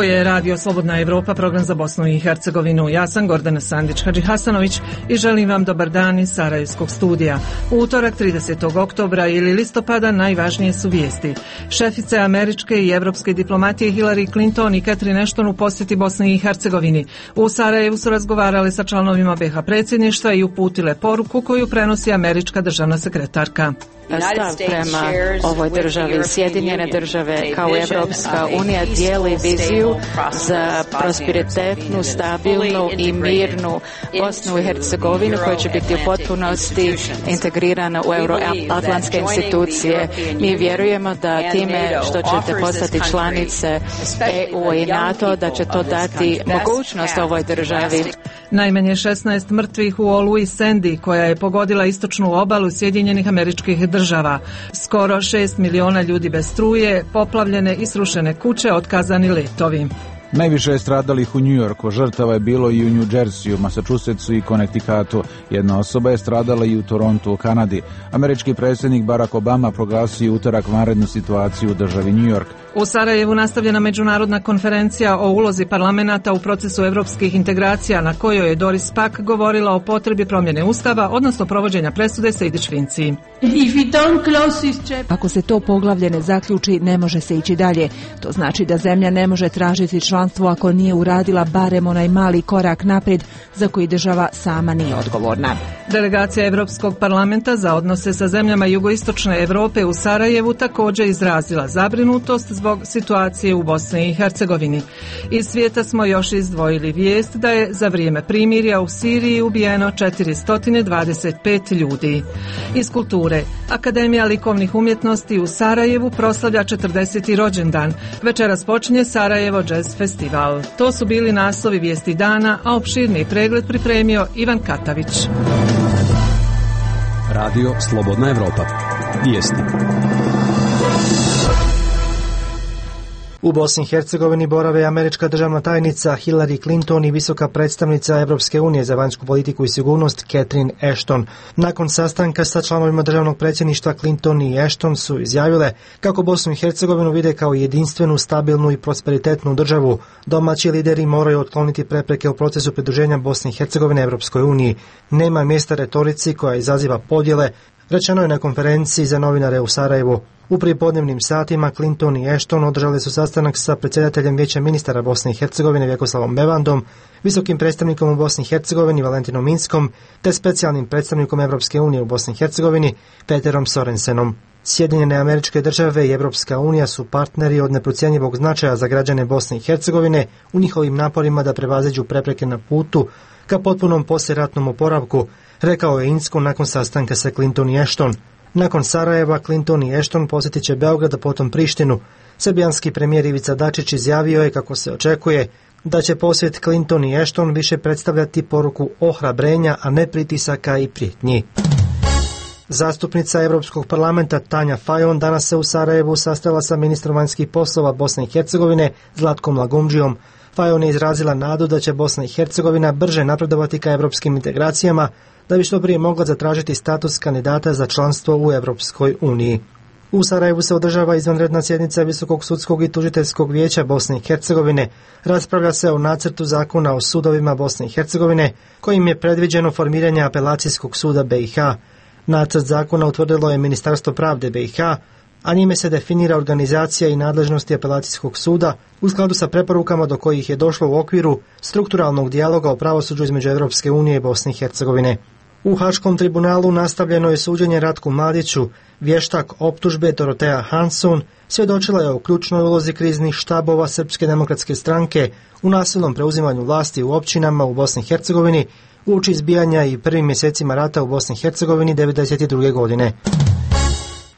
je Radio Slobodna Evropa, program za Bosnu i Hercegovinu. Ja sam Gordana Sandić-Hadžihasanović i želim vam dobar dan iz Sarajevskog studija. U utorak 30. oktobra ili listopada najvažnije su vijesti. Šefice američke i evropske diplomatije Hillary Clinton i Catherine Ashton u posjeti Bosni i Hercegovini. U Sarajevu su razgovarale sa članovima BiH predsjedništva i uputile poruku koju prenosi američka državna sekretarka. Stav prema ovoj državi, Sjedinjene države kao Evropska unija dijeli viziju za prosperitetnu, stabilnu i mirnu Bosnu i Hercegovinu koja će biti u potpunosti integrirana u euroatlantske institucije. Mi vjerujemo da time što ćete postati članice EU i NATO, da će to dati mogućnost ovoj državi. Najmanje 16 mrtvih u oluji Sandy koja je pogodila istočnu obalu Sjedinjenih Američkih Država. Skoro 6 miliona ljudi bez struje, poplavljene i srušene kuće, otkazani letovi. Najviše je stradalih u New Yorku, žrtava je bilo i u New Jerseyu, Massachusettsu i Connecticutu. Jedna osoba je stradala i u Torontu u Kanadi. Američki predsjednik Barack Obama proglasio utorak vanrednu situaciju u državi New York. U Sarajevu nastavljena međunarodna konferencija o ulozi parlamenta u procesu evropskih integracija na kojoj je Doris Pack govorila o potrebi promjene ustava, odnosno provođenja presude Sejdić-Finci. Ako se to poglavlje ne zaključi, ne može se ići dalje. To znači da zemlja ne može tražiti članstvo ako nije uradila barem onaj mali korak naprijed za koji država sama nije odgovorna. Delegacija Evropskog parlamenta za odnose sa zemljama jugoistočne Europe u Sarajevu također izrazila zabrinutost zbog situacije u Bosni i Hercegovini. Iz svijeta smo još izdvojili vijest da je za vrijeme primirja u Siriji ubijeno 425 ljudi. Iz kulture, Akademija likovnih umjetnosti u Sarajevu proslavlja 40. rođendan. Večeras počinje Sarajevo Jazz Festival. To su bili naslovi vijesti dana, a opširni pregled pripremio Ivan Katavić. Radio Slobodna Evropa. Vijesti. U Bosni i Hercegovini borave američka državna tajnica Hillary Clinton i visoka predstavnica Evropske unije za vanjsku politiku i sigurnost Catherine Ashton. Nakon sastanka sa članovima državnog predsjedništva, Clinton i Ashton su izjavile kako Bosnu i Hercegovinu vide kao jedinstvenu, stabilnu i prosperitetnu državu. Domaći lideri moraju otkloniti prepreke u procesu pridruženja Bosne i Hercegovine Evropskoj uniji. Nema mjesta retorici koja izaziva podjele, rečeno je na konferenciji za novinare u Sarajevu. U prijepodnevnim satima Clinton i Ashton održali su sastanak sa predsjedateljem Vijeća ministara Bosne i Hercegovine Vjekoslavom Bevandom, visokim predstavnikom u Bosni i Hercegovini Valentinom Minskom te specijalnim predstavnikom Evropske unije u Bosni i Hercegovini Peterom Sorensenom. Sjedinjene Američke Države i Evropska unija su partneri od neprocjenjivog značaja za građane Bosne i Hercegovine u njihovim naporima da prevaziđu prepreke na putu ka potpunom poslijeratnom oporavku, rekao je Insko nakon sastanka sa Clinton i Ashton. Nakon Sarajeva, Clinton i Ashton posjetit će Beograd, a potom Prištinu. Srbijanski premijer Ivica Dačić izjavio je kako se očekuje da će posjet Clinton i Ashton više predstavljati poruku ohrabrenja, a ne pritisaka i prijetnji. Zastupnica Europskog parlamenta Tanja Fajon danas se u Sarajevu sastala sa ministrom vanjskih poslova Bosne i Hercegovine Zlatkom Lagumdžijom. Fajon je izrazila nadu da će Bosna i Hercegovina brže napredovati ka europskim integracijama, da bi što prije mogla zatražiti status kandidata za članstvo u Europskoj uniji. U Sarajevu se održava izvanredna sjednica Visokog sudskog i tužiteljskog vijeća Bosne i Hercegovine. Raspravlja se o nacrtu zakona o sudovima Bosne i Hercegovine, kojim je predviđeno formiranje apelacijskog suda BiH. Nacrt zakona utvrdilo je Ministarstvo pravde BiH, a njime se definira organizacija i nadležnosti apelacijskog suda u skladu sa preporukama do kojih je došlo u okviru strukturalnog dijaloga o pravosuđu između Europske unije i Bosne i Hercegovine. U Haškom tribunalu nastavljeno je suđenje Ratku Mladiću. Vještak optužbe Dorotea Hanson svjedočila je o ključnoj ulozi kriznih štabova Srpske demokratske stranke u nasilnom preuzimanju vlasti u općinama u Bosni i Hercegovini uoči izbijanja i prvim mjesecima rata u Bosni i Hercegovini 1992. godine.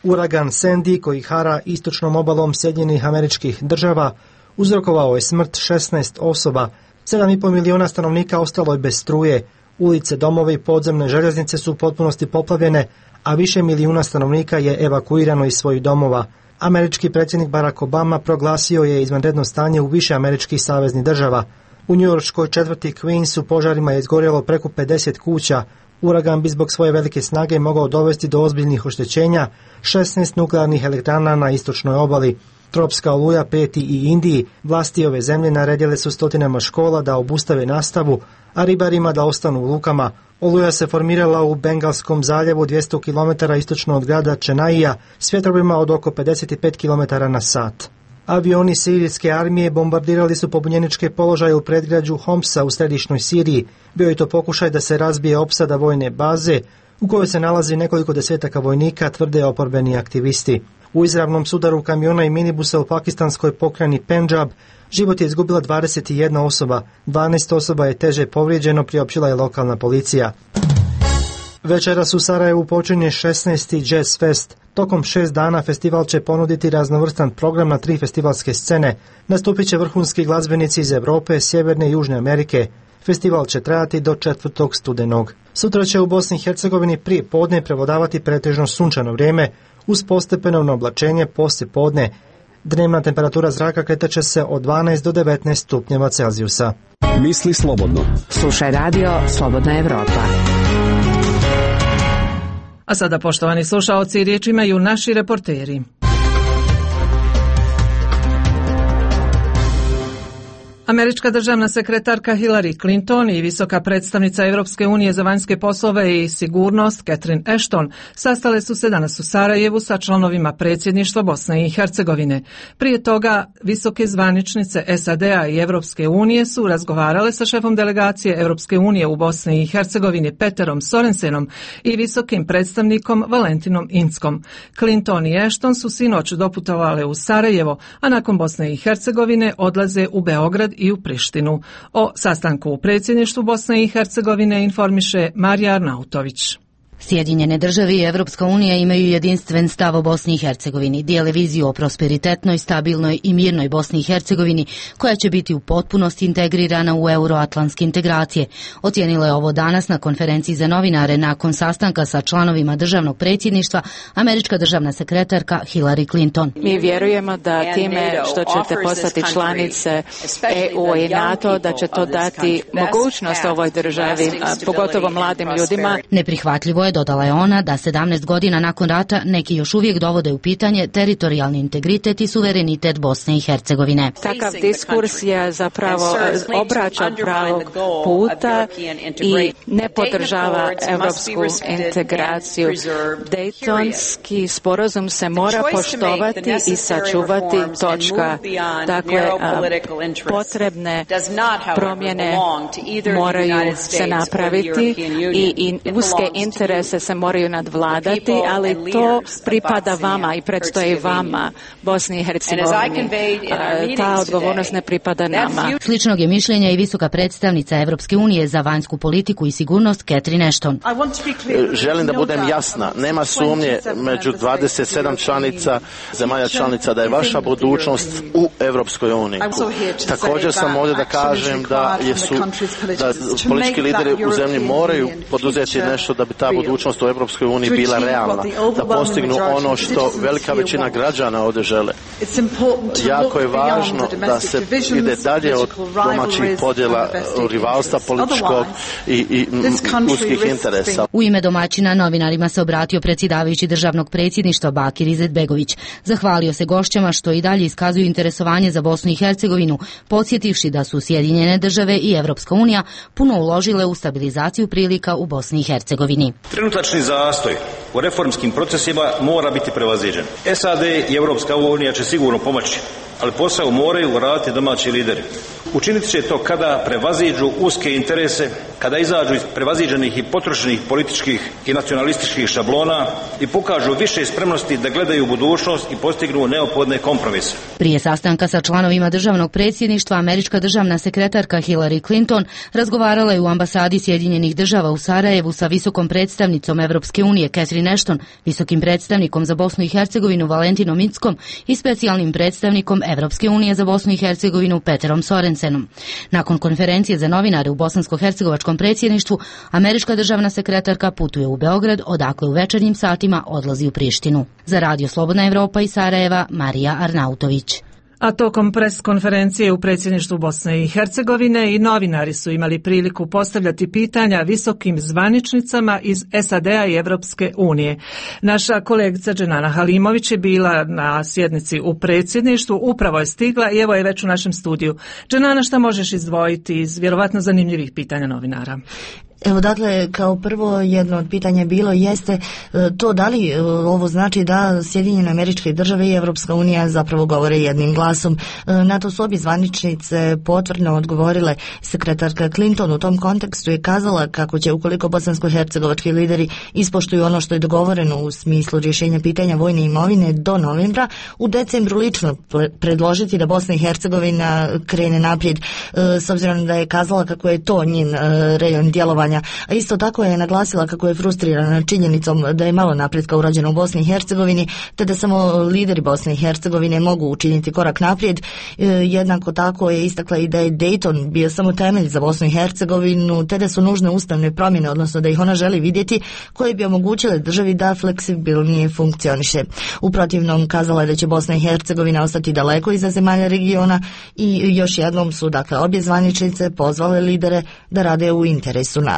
Uragan Sandy, koji hara istočnom obalom Sjedinjenih Američkih Država, uzrokovao je smrt 16 osoba. 7,5 miliona stanovnika ostalo je bez struje. Ulice, domovi i podzemne željeznice su u potpunosti poplavljene, a više milijuna stanovnika je evakuirano iz svojih domova. Američki predsjednik Barack Obama proglasio je izvanredno stanje u više američkih saveznih država. U njujorškoj četvrti Queens u požarima je izgorjelo preko 50 kuća. Uragan bi zbog svoje velike snage mogao dovesti do ozbiljnih oštećenja 16 nuklearnih elektrana na istočnoj obali. Tropska oluja prijeti i Indiji. Vlasti ove zemlje naredile su stotinama škola da obustave nastavu, a ribarima da ostanu u lukama. Oluja se formirala u Bengalskom zaljevu 200 km istočno od grada Čenaija s vjetrovima od oko 55 km na sat. Avioni sirijske armije bombardirali su pobunjeničke položaje u predgrađu Homsa u središnjoj Siriji. Bio je to pokušaj da se razbije opsada vojne baze u kojoj se nalazi nekoliko desetaka vojnika, tvrde oporbeni aktivisti. U izravnom sudaru kamiona i minibusa u pakistanskoj pokrajini Pendžab život je izgubila 21 osoba, 12 osoba je teže povrijeđeno, priopćila je lokalna policija. Večeras u Sarajevu počinje 16. Jazz Fest. Tokom 6 dana festival će ponuditi raznovrstan program na 3 festivalske scene. Nastupit će vrhunski glazbenici iz Europe, Sjeverne i Južne Amerike. Festival će trajati do 4. studenog. Sutra će u Bosni i Hercegovini prije podne prevladavati pretežno sunčano vrijeme uz postepeno oblačenje poslije podne. Dnevna temperatura zraka kretat će se od 12 do 19 stupnjeva Celzijusa. Misli slobodno. Slušaj radio Slobodna Evropa. A sada, poštovani slušaoci, riječ imaju naši reporteri. Američka državna sekretarka Hillary Clinton i visoka predstavnica Europske unije za vanjske poslove i sigurnost Catherine Ashton sastale su se danas u Sarajevu sa članovima predsjedništva Bosne i Hercegovine. Prije toga visoke zvaničnice SAD-a i Europske unije su razgovarale sa šefom delegacije Europske unije u Bosni i Hercegovini Peterom Sorensenom i visokim predstavnikom Valentinom Inckom. Clinton i Ashton su sinoć doputovale u Sarajevo, a nakon Bosne i Hercegovine odlaze u Beograd i u Prištinu. O sastanku u predsjedništvu Bosne i Hercegovine informiše Marija Arnautović. Sjedinjene države i Evropska unija imaju jedinstven stav o Bosni i Hercegovini, dijele viziju o prosperitetnoj, stabilnoj i mirnoj Bosni i Hercegovini, koja će biti u potpunosti integrirana u euroatlantske integracije. Ocijenila je ovo danas na konferenciji za novinare nakon sastanka sa članovima državnog predsjedništva američka državna sekretarka Hillary Clinton. Mi vjerujemo da time što ćete postati članice EU i NATO, da će to dati mogućnost ovoj državi, pogotovo mladim ljudima. Neprihvatljivo je, dodala je ona, da 17 godina nakon rata neki još uvijek dovode u pitanje teritorijalni integritet i suverenitet Bosne i Hercegovine. Takav diskurs je zapravo obraća pravog puta i ne podržava evropsku integraciju. Dejtonski sporazum se mora poštovati i sačuvati, točka. Dakle, potrebne promjene moraju se napraviti i uske interese se moraju nadvladati, ali to pripada vama i predstoji vama, Bosni i Hercegovini. Ta odgovornost ne pripada nama. Sličnog je mišljenja i visoka predstavnica Evropske unije za vanjsku politiku i sigurnost Catherine Ashton. Želim da budem jasna, nema sumnje među 27 članica, zemalja članica, da je vaša budućnost u Evropskoj uniji. Također sam ovdje da kažem da politički lideri u zemlji moraju poduzeti nešto da bi ta budućnost u Evropskoj uniji bila realna, da postignu ono što velika većina građana ovdje žele. Jako je važno da se ide dalje od domaćih podjela, rivalstva političkog i uskih interesa. U ime domaćina novinarima se obratio predsjedavajući državnog predsjedništva Bakir Izetbegović. Zahvalio se gošćama što i dalje iskazuju interesovanje za Bosnu i Hercegovinu, podsjetivši da su Sjedinjene države i Evropska unija puno uložile u stabilizaciju prilika u Bosni i Hercegovini. Trenutačni zastoj u reformskim procesima mora biti prevaziđen. SAD i Evropska unija će sigurno pomoći, ali posao moraju raditi domaći lideri. Učiniti će to kada prevaziđu uske interese, kada izađu iz prevaziđenih i potrošenih političkih i nacionalističkih šablona i pokažu više spremnosti da gledaju u budućnost i postignu neophodne kompromise. Prije sastanka sa članovima državnog predsjedništva, američka državna sekretarka Hillary Clinton razgovarala je u ambasadi Sjedinjenih država u Sarajevu sa visokom predstavnicom Evropske unije Catherine Ashton, visokim predstavnikom za Bosnu i Hercegovinu Valentinom Inckom i specijalnim predstavnikom Evropske unije za Bosnu i Hercegovinu Peterom Sorensenom. Nakon konferencije za novinare u bosansko-hercegovačkom predsjedništvu, američka državna sekretarka putuje u Beograd, odakle u večernjim satima odlazi u Prištinu. Za Radio Slobodna Evropa iz Sarajeva, Marija Arnautović. A tokom pres konferencije u predsjedništvu Bosne i Hercegovine i novinari su imali priliku postavljati pitanja visokim zvaničnicama iz SAD-a i Evropske unije. Naša kolegica Dženana Halimović je bila na sjednici u predsjedništvu, upravo je stigla i evo je već u našem studiju. Dženana, šta možeš izdvojiti iz vjerovatno zanimljivih pitanja novinara? Evo, dakle, kao prvo jedno od pitanja bilo jeste to da li ovo znači da Sjedinjene Američke Države i Evropska unija zapravo govore jednim glasom. Na to su obje zvaničnice potvrdno odgovorile. Sekretarka Clinton u tom kontekstu je kazala kako će, ukoliko bosansko-hercegovački lideri ispoštuju ono što je dogovoreno u smislu rješenja pitanja vojne imovine do novembra, u decembru lično predložiti da Bosna i Hercegovina krene naprijed, s obzirom da je kazala kako je to njen rejon djelovanja. A isto tako je naglasila kako je frustrirana činjenicom da je malo napretka urađeno u Bosni i Hercegovini, te da samo lideri Bosne i Hercegovine mogu učiniti korak naprijed. Jednako tako je istakla i da je Dayton bio samo temelj za Bosnu i Hercegovinu, te da su nužne ustavne promjene, odnosno da ih ona želi vidjeti, koje bi omogućile državi da fleksibilnije funkcioniše. U protivnom, kazala je da će Bosna i Hercegovina ostati daleko iza zemalja regiona i još jednom su, dakle, obje zvaničnice pozvale lidere da rade u interesu naroda.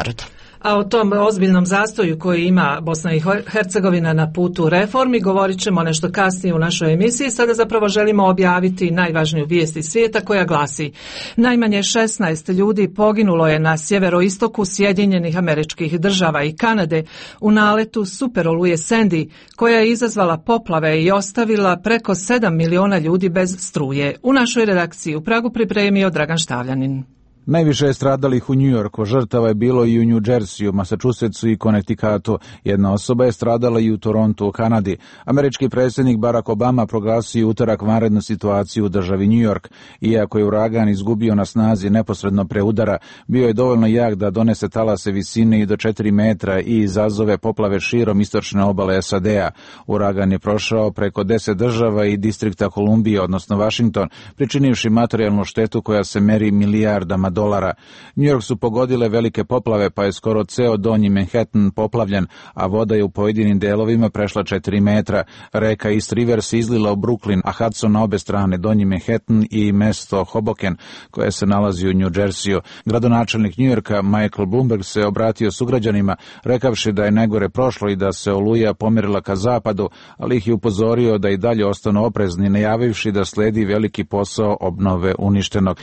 A o tom ozbiljnom zastoju koji ima Bosna i Hercegovina na putu reformi govorit ćemo nešto kasnije u našoj emisiji. Sada zapravo želimo objaviti najvažniju vijest iz svijeta koja glasi: najmanje 16 ljudi poginulo je na sjeveroistoku Sjedinjenih Američkih Država i Kanade u naletu superoluje Sandy, koja je izazvala poplave i ostavila preko 7 miliona ljudi bez struje. U našoj redakciji u Pragu pripremio Dragan Štavljanin. Najviše je stradalih u New Yorku, žrtava je bilo i u New Jerseyu, Massachusettsu i Connecticutu. Jedna osoba je stradala i u Torontu u Kanadi. Američki predsjednik Barack Obama proglasio utorak vanrednu situaciju u državi New York. Iako je uragan izgubio na snazi neposredno pre udara, bio je dovoljno jak da donese talase visine i do 4 metra i izazove poplave širom istočne obale SAD-a. Uragan je prošao preko 10 država i distrikta Kolumbije, odnosno Washington, pričinivši materijalnu štetu koja se meri milijardama dolara. New York su pogodile velike poplave, pa je skoro ceo donji Manhattan poplavljen, a voda je u pojedinim delovima prešla 4 metra. Reka East River se izlila u Brooklyn, a Hudson na obe strane, donji Manhattan i mesto Hoboken, koje se nalazi u New Jerseyu. Gradonačelnik New Yorka Michael Bloomberg se obratio sugrađanima, rekavši da je najgore prošlo i da se oluja pomerila ka zapadu, ali ih je upozorio da i dalje ostanu oprezni, najavivši da sledi veliki posao obnove uništenog.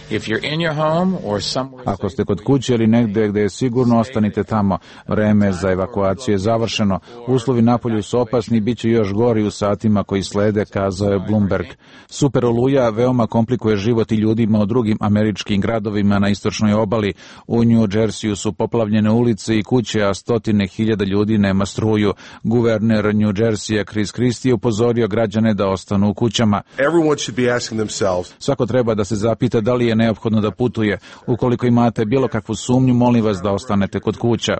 Ako ste kod kuće ili negdje gdje je sigurno, ostanite tamo. Vreme za evakuaciju je završeno. Uslovi napolju su opasni i bit će još gori u satima koji slede, kazao je Bloomberg. Super oluja veoma komplikuje život i ljudima u drugim američkim gradovima na istočnoj obali. U New Jerseyu su poplavljene ulice i kuće, a 100.000 ljudi nema struju. Guverner New Jerseya Chris Christie upozorio građane da ostanu u kućama. Svako treba da se zapita da li je neophodno da putuje. Ukoliko imate bilo kakvu sumnju, molim vas da ostanete kod kuća.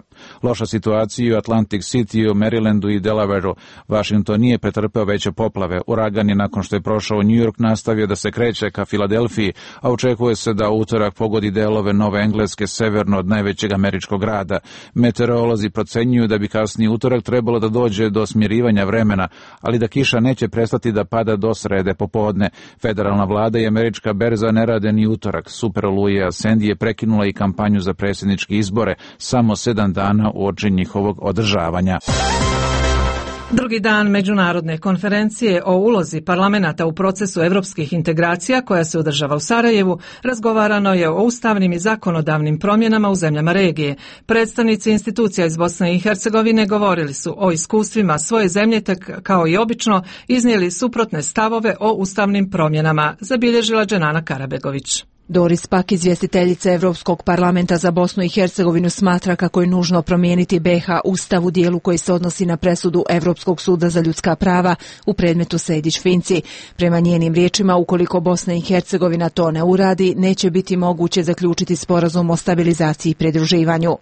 Loša situacija u Atlantic City, u Marylandu i Delawareu. Washington nije pretrpeo veće poplave. Uragan je nakon što je prošao New York nastavio da se kreće ka Filadelfiji, a očekuje se da utorak pogodi delove Nove Engleske severno od najvećeg američkog grada. Meteorolozi procenjuju da bi kasniji utorak trebalo da dođe do smirivanja vremena, ali da kiša neće prestati da pada do srede popodne. Federalna vlada i američka berza ne rade ni utorak. Super oluja Sandy je prekinula i kampanju za predsjedničke izbore samo 7 dana uoči njihovog održavanja. Drugi dan međunarodne konferencije o ulozi parlamenata u procesu europskih integracija koja se održava u Sarajevu razgovarano je o ustavnim i zakonodavnim promjenama u zemljama regije. Predstavnici institucija iz Bosne i Hercegovine govorili su o iskustvima svoje zemlje, te kao i obično iznijeli suprotne stavove o ustavnim promjenama, zabilježila Dženana Karabegović. Doris Pack, izvjestiteljica Europskog parlamenta za Bosnu i Hercegovinu, smatra kako je nužno promijeniti BiH ustav u dijelu koji se odnosi na presudu Europskog suda za ljudska prava u predmetu Sejdić-Finci. Prema njenim riječima, ukoliko Bosna i Hercegovina to ne uradi, neće biti moguće zaključiti sporazum o stabilizaciji i pridruživanju.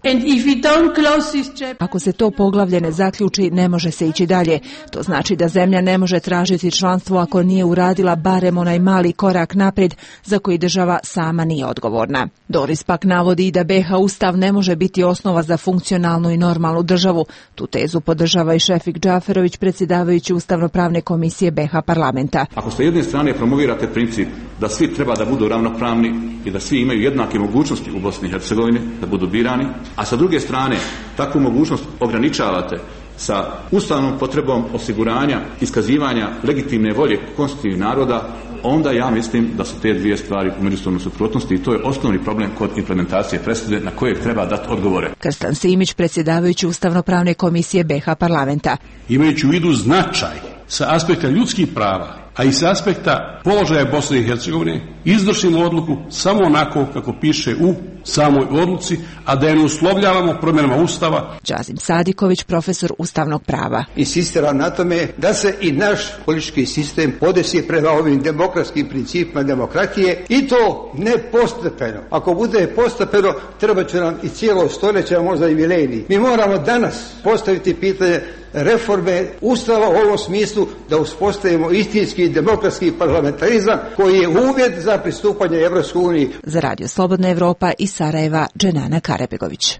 Ako se to poglavlje ne zaključi, ne može se ići dalje. To znači da zemlja ne može tražiti članstvo ako nije uradila barem onaj mali korak naprijed za koji država sama nije odgovorna. Doris pak navodi da BiH ustav ne može biti osnova za funkcionalnu i normalnu državu. Tu tezu podržava i Šefik Džaferović, predsjedavajući Ustavno-pravne komisije BiH parlamenta. Ako s jedne strane promovirate princip da svi treba da budu ravnopravni i da svi imaju jednake mogućnosti u Bosni i Hercegovini, da budu birani, a sa druge strane takvu mogućnost ograničavate sa ustavnom potrebom osiguranja iskazivanja legitimne volje konstitutivnih naroda, onda ja mislim da su te dvije stvari u međusobnoj suprotnosti i to je osnovni problem kod implementacije presude na kojeg treba dati odgovore. Krstan Simić, predsjedavajući Ustavno-pravne komisije BiH parlamenta. Imajući u vidu značaj sa aspekta ljudskih prava, a i sa aspekta položaja Bosne i Hercegovine, izvršimo odluku samo onako kako piše u samoj odluci, a da je ne uslovljavamo promjenama Ustava. Đazim Sadiković, profesor ustavnog prava. Insistiram na tome da se i naš politički sistem podesi prema ovim demokratskim principima demokratije i to ne postepeno. Ako bude postepeno, treba će nam i cijelo stoljeće, možda i milenij. Mi moramo danas postaviti pitanje reforme Ustava u ovom smislu da uspostavimo istinski demokratski parlamentarizam koji je uvjet za pristupanje Evropskoj uniji. Za Radio Slobodna Evropa iz Sarajeva, Dženana Karebegović.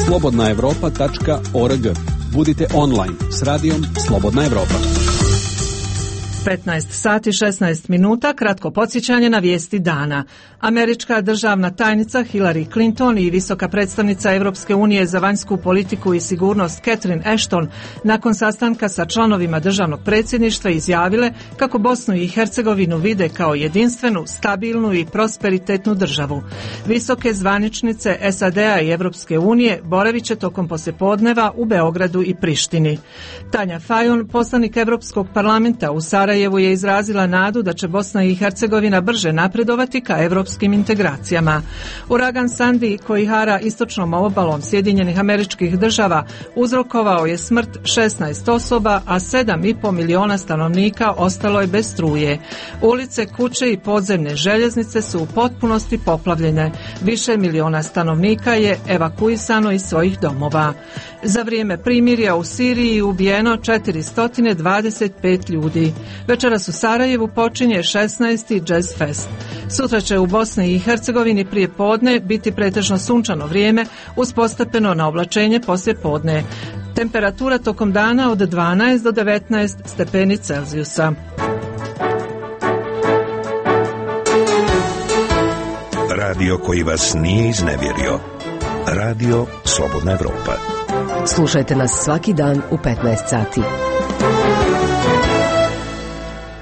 slobodnaevropa.org. Budite online s radijom Slobodna Evropa. 15 sati 16 minuta, kratko podsjećanje na vijesti dana. Američka državna tajnica Hillary Clinton i visoka predstavnica Europske unije za vanjsku politiku i sigurnost Catherine Ashton nakon sastanka sa članovima državnog predsjedništva izjavile kako Bosnu i Hercegovinu vide kao jedinstvenu, stabilnu i prosperitetnu državu. Visoke zvaničnice SAD-a i Europske unije boravit će tokom poslijepodneva u Beogradu i Prištini. Tanja Fajon, poslanik Europskog parlamenta u Sarajevu, je izrazila nadu da će Bosna i Hercegovina brže napredovati ka europskim integracijama. Uragan Sandy, koji hara istočnom obalom Sjedinjenih Američkih Država, uzrokovao je smrt 16 osoba, a 7,5 miliona stanovnika ostalo je bez struje. Ulice, kuće i podzemne željeznice su u potpunosti poplavljene. Više miliona stanovnika je evakuisano iz svojih domova. Za vrijeme primirja u Siriji ubijeno 425 ljudi. Večeras u Sarajevu počinje 16. Jazz Fest. Sutra će u Bosni i Hercegovini prije podne biti pretežno sunčano vrijeme uz postepeno naoblačenje poslije podne. Temperatura tokom dana od 12 do 19 stepeni Celzijusa. Radio koji vas nije iznevjerio. Radio Slobodna Evropa. Slušajte nas svaki dan u 15 sati.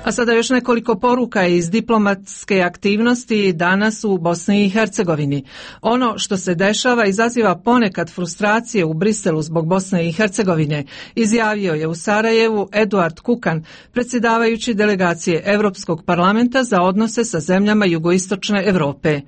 A sada još nekoliko poruka iz diplomatske aktivnosti danas u Bosni i Hercegovini. Ono što se dešava izaziva ponekad frustracije u Briselu zbog Bosne i Hercegovine, izjavio je u Sarajevu Eduard Kukan, predsjedavajući delegacije Europskog parlamenta za odnose sa zemljama jugoistočne Europe.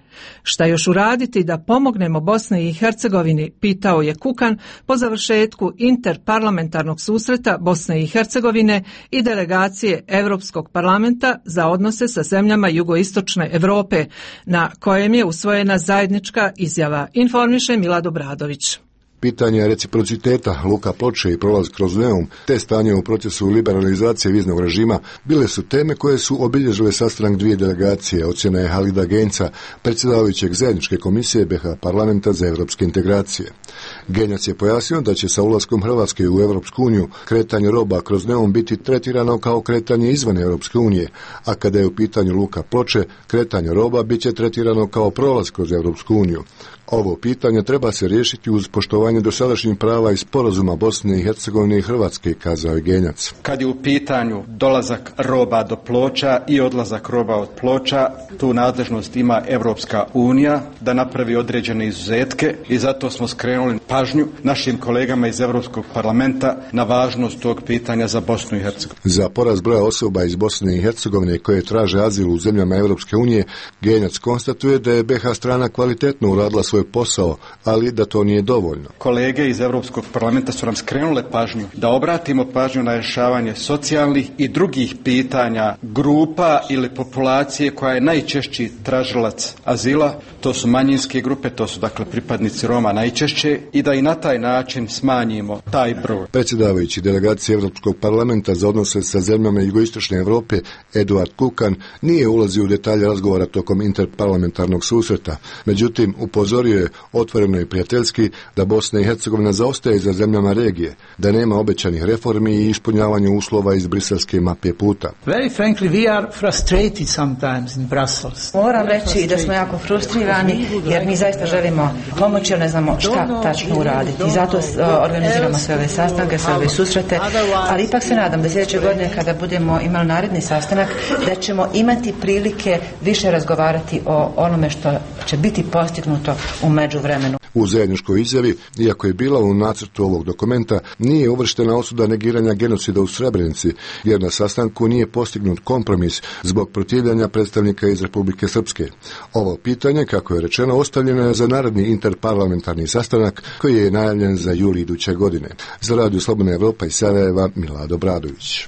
Šta još uraditi da pomognemo Bosni i Hercegovini, pitao je Kukan po završetku interparlamentarnog susreta Bosne i Hercegovine i delegacije Europskog parlamenta za odnose sa zemljama jugoistočne Europe, na kojem je usvojena zajednička izjava, informiše Milad Obradović. Pitanje reciprociteta, luka Ploče i prolaz kroz Neum, te stanje u procesu liberalizacije viznog režima bile su teme koje su obilježile sastanak dvije delegacije, ocjena je Halida Genca, predsjedavajućeg zajedničke komisije BiH parlamenta za europske integracije. Genjac je pojasnio da će sa ulaskom Hrvatske u Europsku uniju kretanje roba kroz Neum biti tretirano kao kretanje izvan Europske unije, a kada je u pitanju luka Ploče, kretanje roba bit će tretirano kao prolaz kroz Europsku uniju. Ovo pitanje treba se riješiti uz poštovanje dosadašnjih prava i sporazuma Bosne i Hercegovine i Hrvatske, kazao je Genjac. Kad je u pitanju dolazak roba do Ploča i odlazak roba od Ploča, tu nadležnost ima Europska unija da napravi određene izuzetke i zato smo skrenuli pažnju našim kolegama iz Europskog parlamenta na važnost tog pitanja za Bosnu i Hercegovinu. Za porast broja osoba iz Bosne i Hercegovine koje traže azil u zemljama Europske unije, Genjac konstatuje da je BiH strana kvalitetno uradila svoj posao, ali da to nije dovoljno. kolege iz Europskog parlamenta su nam skrenule pažnju da obratimo pažnju na rješavanje socijalnih i drugih pitanja grupa ili populacije koja je najčešći tražilac azila. To su manjinske grupe, to su dakle pripadnici Roma najčešće, i da i na taj način smanjimo taj broj. Predsjedavajući delegacije Europskog parlamenta za odnose sa zemljama jugoistočne Europe Eduard Kukan nije ulazio u detalje razgovora tokom interparlamentarnog susreta. Međutim, upozorio je otvoreno i prijateljski da Bosna i Hercegovina zaostaje za zemljama regije, da nema obećanih reformi i ispunjavanju uslova iz briselske mape puta. Very frankly, we are frustrated sometimes in Brussels. Moram reći da smo jako frustrirani jer mi zaista želimo pomoći, ali ne znamo šta tačno uraditi. Zato organiziramo sve ove sastanke, sve ove susrete, ali ipak se nadam da sljedeće godine kada budemo imali naredni sastanak da ćemo imati prilike više razgovarati o onome što će biti postignuto u međuvremenu. U zajedničkoj izjavi, iako je bila u nacrtu ovog dokumenta, nije uvrštena osuda negiranja genocida u Srebrenici, jer na sastanku nije postignut kompromis zbog protivljenja predstavnika iz Republike Srpske. Ovo pitanje, kako je rečeno, ostavljeno je za naredni interparlamentarni sastanak koji je najavljen za juli iduće godine. Za Radio Slobodna Evropa iz Sarajeva, Milado Bradović.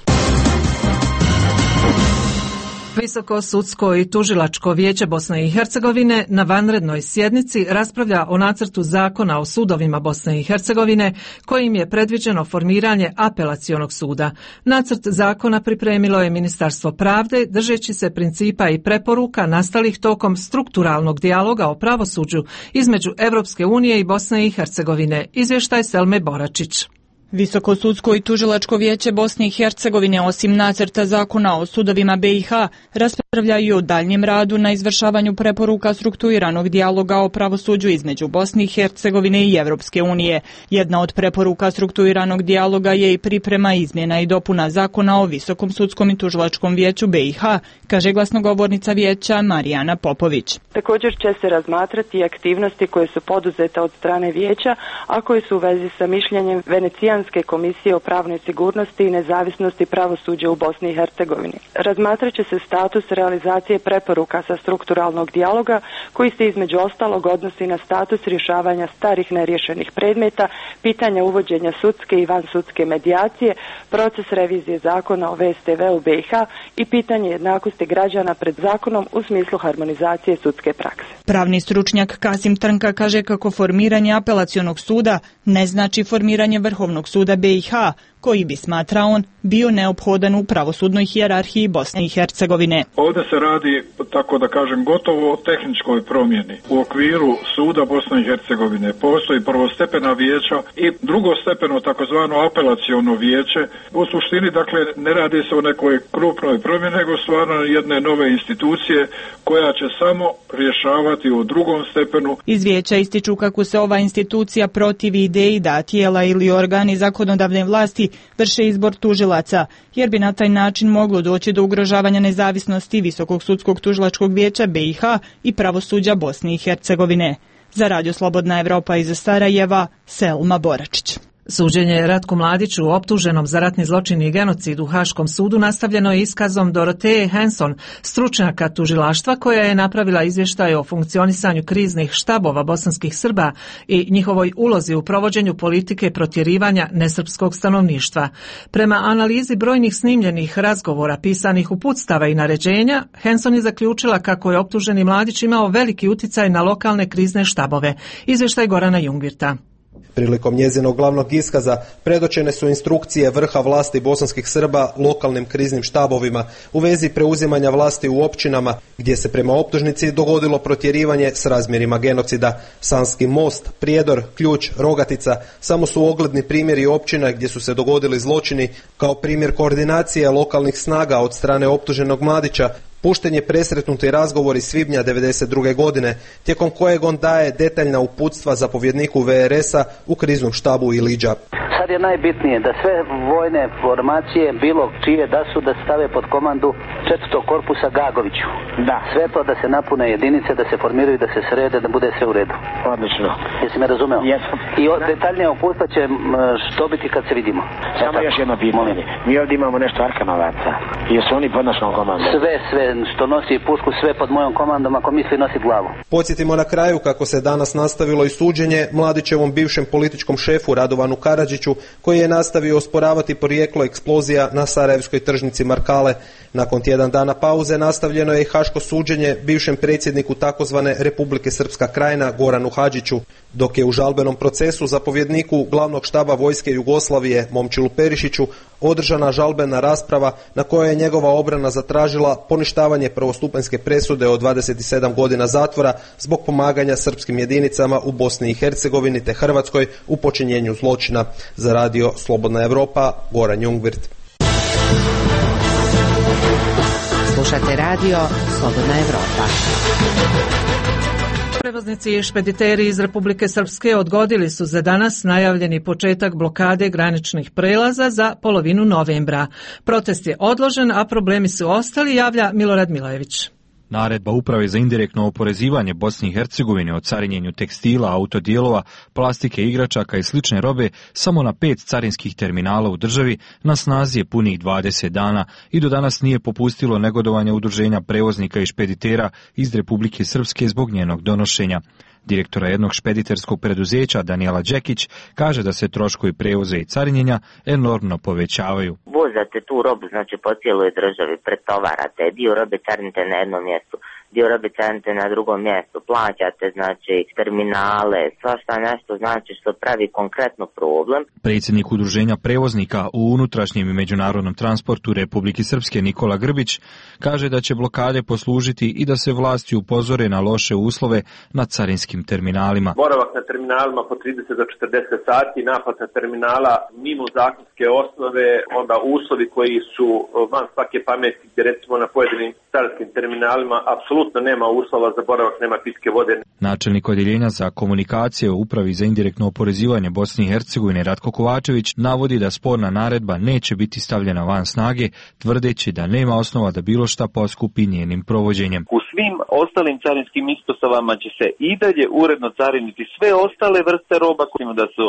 Visoko sudsko i tužilačko vijeće Bosne i Hercegovine na vanrednoj sjednici raspravlja o nacrtu zakona o sudovima Bosne i Hercegovine kojim je predviđeno formiranje apelacionog suda. Nacrt zakona pripremilo je Ministarstvo pravde držeći se principa i preporuka nastalih tokom strukturalnog dijaloga o pravosuđu između Evropske unije i Bosne i Hercegovine. Izvještaj Selme Boračić. Visoko sudsko i tužilačko vijeće Bosne i Hercegovine osim nacrta zakona o sudovima BiH raspravlja i o daljnjem radu na izvršavanju preporuka strukturiranog dijaloga o pravosuđu između Bosne i Hercegovine i Evropske unije. Jedna od preporuka strukturiranog dijaloga je i priprema izmjena i dopuna zakona o Visokom sudskom i tužilačkom vijeću BiH, kaže glasnogovornica vijeća Marijana Popović. Također će se razmatrati aktivnosti koje su poduzete od strane vijeća, a koje su u vezi sa mišljenjem Venecijanske komisije o pravnoj sigurnosti i nezavisnosti pravosuđa u Bosni i Hercegovini. Razmatrat će se status realizacije preporuka sa strukturalnog dijaloga koji se između ostalog odnosi na status rješavanja starih neriješenih predmeta, pitanja uvođenja sudske i vansudske medijacije, proces revizije zakona o VSTV u BiH i pitanje jednakosti građana pred zakonom u smislu harmonizacije sudske prakse. Pravni stručnjak Kasim Trnka kaže kako formiranje apelacionog suda ne znači formiranje Vrhovnog suda BiH, koji bi, smatra on, bio neophodan u pravosudnoj hijerarhiji Bosne i Hercegovine. Ovdje se radi, tako da kažem, gotovo o tehničkoj promjeni. U okviru suda Bosne i Hercegovine postoji prvostepena vijeća i drugostepeno takozvano apelaciono vijeće. U suštini, dakle, ne radi se o nekoj krupnoj promjeni, nego stvarno jedne nove institucije koja će samo rješavati u drugom stepenu. Iz vijeća ističu kako se ova institucija protivi ideji da tijela ili organi zakonodavne vlasti vrše izbor tužilaca, jer bi na taj način moglo doći do ugrožavanja nezavisnosti Visokog sudskog tužilačkog vijeća BiH i pravosuđa Bosne i Hercegovine. Za Radio Slobodna Evropa iz Sarajeva, Selma Boračić. Suđenje Ratku Mladiću, optuženom za ratni zločin i genocid u Haškom sudu, nastavljeno je iskazom Doroteje Hanson, stručnjaka tužilaštva koja je napravila izvještaj o funkcionisanju kriznih štabova bosanskih Srba i njihovoj ulozi u provođenju politike protjerivanja nesrpskog stanovništva. Prema analizi brojnih snimljenih razgovora pisanih uputstava i naređenja, Hanson je zaključila kako je optuženi Mladić imao veliki uticaj na lokalne krizne štabove. Izvještaj Gorana Jungvirta. Prilikom njezinog glavnog iskaza predočene su instrukcije vrha vlasti bosanskih Srba lokalnim kriznim štabovima u vezi preuzimanja vlasti u općinama gdje se prema optužnici dogodilo protjerivanje s razmjerima genocida. Sanski Most, Prijedor, Ključ, Rogatica samo su ogledni primjeri općina gdje su se dogodili zločini, kao primjer koordinacije lokalnih snaga od strane optuženog Mladića. Pušten je presretnuti razgovor iz svibnja 1992. godine, tijekom kojeg on daje detaljna uputstva zapovjedniku VRS-a u kriznom štabu Iliđa. Sad je najbitnije da sve vojne formacije, bilo čije da su, da stave pod komandu 4. korpusa Gagoviću. Da. Sve to da se napune jedinice, da se formiraju, da se srede, da bude sve u redu. Odlično. Jesi me razumeo? Jesam. I detaljnije uputstva će što biti kad se vidimo. Samo još jedno pitanje. Mi ovdje imamo nešto Arkanovaca. Jesu oni pod našom komandom? Sve što nosi pušku, sve pod mojom komandom, ako misli nosi glavu. Podsjetimo na kraju kako se danas nastavilo i suđenje Mladićevom bivšem političkom šefu Radovanu Karadžiću, koji je nastavio osporavati porijeklo eksplozija na sarajevskoj tržnici Markale. Nakon tjedan dana pauze nastavljeno je i haško suđenje bivšem predsjedniku takozvane Republike Srpska Krajina Goranu Hadžiću, dok je u žalbenom procesu zapovjedniku glavnog štaba vojske Jugoslavije Momčilu Perišiću održana žalbena rasprava na kojoj je njegova obrana zatražila poništavanje prvostupanjske presude od 27 godina zatvora zbog pomaganja srpskim jedinicama u Bosni i Hercegovini te Hrvatskoj u počinjenju zločina. Za radio Slobodna Evropa, Goran Jungwirth. Slušate radio Slobodna Evropa. Prevoznici i špediteri iz Republike Srpske odgodili su za danas najavljeni početak blokade graničnih prelaza za polovinu novembra. Protest je odložen, a problemi su ostali, javlja Milorad Milojević. Naredba Uprave za indirektno oporezivanje Bosne i Hercegovine o carinjenju tekstila, autodijelova, plastike, igračaka i slične robe samo na 5 carinskih terminala u državi na snazi je punih 20 dana i do danas nije popustilo negodovanje udruženja prevoznika i špeditera iz Republike Srpske zbog njenog donošenja. Direktora jednog špediterskog preduzeća Danijela Đekić kaže da se troškovi prevoza i carinjenja enormno povećavaju. Vozate tu robu, znači po cijeloj državi, pretovarate, dio robe carinite na jednom mjestu, dio robe carinite na drugom mjestu, plaćate znači terminale, svašta nešto znači što pravi konkretno problem. Predsjednik udruženja prevoznika u unutrašnjem i međunarodnom transportu Republike Srpske Nikola Grbić kaže da će blokade poslužiti i da se vlasti upozore na loše uslove na carinskim terminalima. Boravak na terminalima po 30 do 40 sati, naplata terminala mimo zakonske osnove, onda uslovi koji su van svake pameti, gdje recimo na pojedinim carinskim terminalima apsolutno nema uslova za boravak, nema pitke vode. Načelnik odjeljenja za komunikacije u Upravi za indirektno oporezivanje Bosne i Hercegovine Ratko Kovačević navodi da sporna naredba neće biti stavljena van snage, tvrdeći da nema osnova da bilo šta poskupi njenim provođenjem. U svim ostalim carinskim ispostavama će se i dalje uredno cariniti sve ostale vrste roba, da su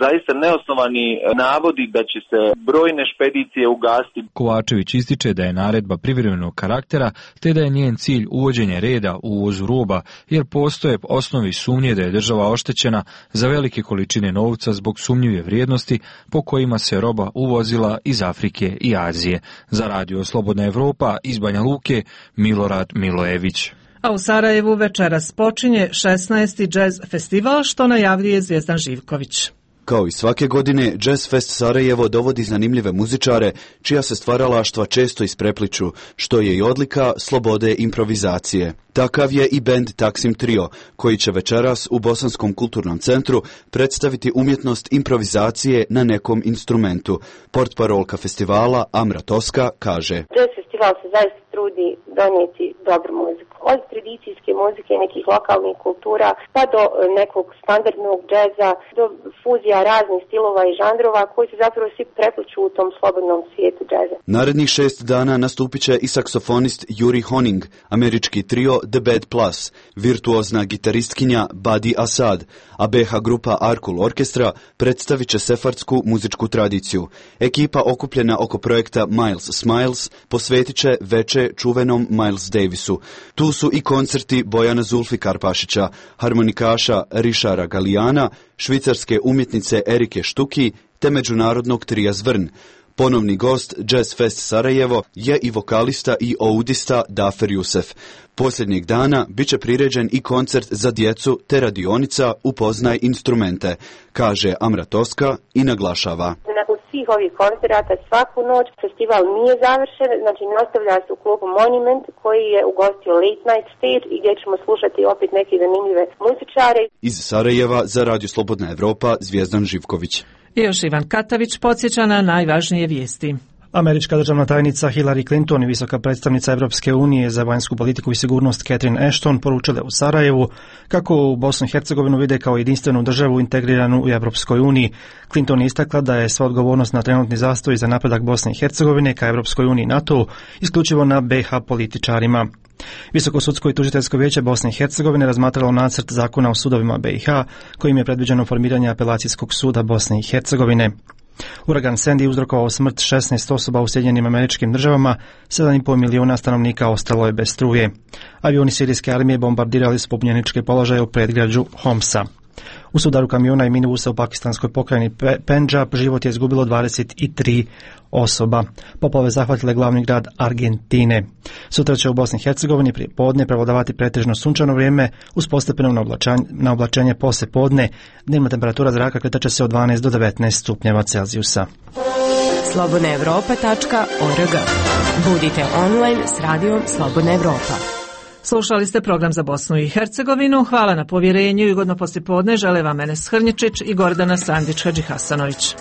zaista neosnovani navodi da će se brojne špedicije ugasiti. Kovačević ističe da je naredba privremenog karaktera, te da je njen cilj uvođenje reda u uvozu roba, jer postoje osnovi sumnje da je država oštećena za velike količine novca zbog sumnjive vrijednosti po kojima se roba uvozila iz Afrike i Azije. Za radio Slobodna Evropa iz Banja Luke, Milorad Milojević. A u Sarajevu večeras počinje 16. jazz festival, što najavljuje Zvijezdan Živković. Kao i svake godine, Jazz Fest Sarajevo dovodi zanimljive muzičare, čija se stvaralaštva često isprepliču, što je i odlika slobode improvizacije. Takav je i bend Taksim Trio, koji će večeras u Bosanskom kulturnom centru predstaviti umjetnost improvizacije na nekom instrumentu. Portparolka festivala Amra Toska kaže: Jazz festival se zaista trudi donijeti dobru muziku. Od tradicijske muzike, nekih lokalnih kultura, pa do nekog standardnog džeza, do fuzija raznih stilova i žanrova koji se zapravo svi prepliču u tom slobodnom svijetu džeza. Narednih 6 dana nastupit će i saksofonist Yuri Honing, američki trio The Bad Plus, virtuozna gitaristkinja Badi Asad, a BH grupa Arkul Orkestra predstavit će sefardsku muzičku tradiciju. Ekipa okupljena oko projekta Miles Smiles posvetit će veče čuvenom Miles Davisu. Tu su i koncerti Bojana Zulfikarpašića, harmonikaša Rišara Galijana, švicarske umjetnice Erike Štuki te međunarodnog trija Zvrn. Ponovni gost Jazz Fest Sarajevo je i vokalista i oudista Dafer Jusef. Posljednjeg dana bit će priređen i koncert za djecu te radionica Upoznaj instrumente, kaže Amra Toska i naglašava. Nakon svih ovih koncerata svaku noć festival nije završen, znači nastavlja se u klubu Monument koji je ugostio Late Night Stage i gdje ćemo slušati opet neke zanimljive muzičare. Iz Sarajeva za Radio Slobodna Evropa Zvijezdan Živković. I još Ivan Katavić podsjeća na najvažnije vijesti. Američka državna tajnica Hillary Clinton i visoka predstavnica Europske unije za vanjsku politiku i sigurnost Catherine Ashton poručile u Sarajevu kako u Bosnu i Hercegovinu vide kao jedinstvenu državu integriranu u Europskoj uniji. Clinton je istakla da je sva odgovornost na trenutni zastoj za napredak Bosne i Hercegovine ka Europskoj uniji i NATO isključivo na BiH političarima. Visoko sudsko i tužiteljsko vijeće Bosne i Hercegovine razmatralo nacrt zakona o sudovima BiH kojim je predviđeno formiranje apelacijskog suda Bosne i Hercegovine. Uragan Sandy uzrokovao smrt 16 osoba u Sjedinjenim Američkim Državama, 7,5 milijuna stanovnika ostalo je bez struje. Avioni sirijske armije bombardirali su pobunjeničke položaje u predgrađu Homsa. U sudaru kamiona i minibusa u pakistanskoj pokrajini Pendžab život je izgubilo 23 osoba. Poplave zahvatile glavni grad Argentine. Sutra će u Bosni i Hercegovini prije podne prevladavati pretežno sunčano vrijeme uz postepeno naoblačenje poslije podne. Dnevna temperatura zraka kretat će se od 12 do 19 stupnjeva Celzijusa. slobodnaevropa.org. Budite online s radijom Slobodna Evropa. Slušali ste program za Bosnu i Hercegovinu. Hvala na povjerenju i ugodno poslijepodne žele vam Enes Hrnječić i Gordana Sandić Hadžihasanović.